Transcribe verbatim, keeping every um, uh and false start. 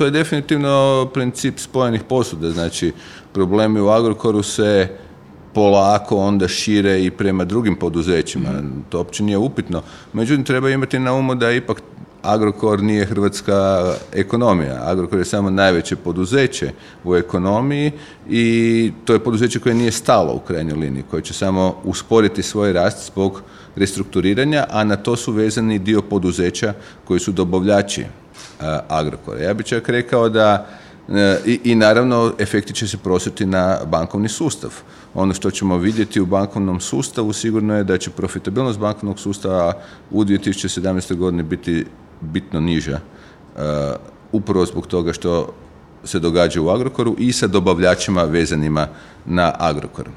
To je definitivno princip spojenih posuda, znači problemi u Agrokoru se polako onda šire i prema drugim poduzećima, mm. to uopće nije upitno. Međutim, treba imati na umu da ipak Agrokor nije hrvatska ekonomija. Agrokor je samo najveće poduzeće u ekonomiji i to je poduzeće koje nije stalo u krajnjoj liniji, koje će samo usporiti svoj rast zbog restrukturiranja, a na to su vezani dio poduzeća koji su dobavljači Agrokora. Ja bih čak rekao da i, i naravno efekti će se prosjeti na bankovni sustav. Ono što ćemo vidjeti u bankovnom sustavu sigurno je da će profitabilnost bankovnog sustava u dvije tisuće sedamnaestoj godini biti bitno niža, uh, upravo zbog toga što se događa u Agrokoru i sa dobavljačima vezanima na Agrokor.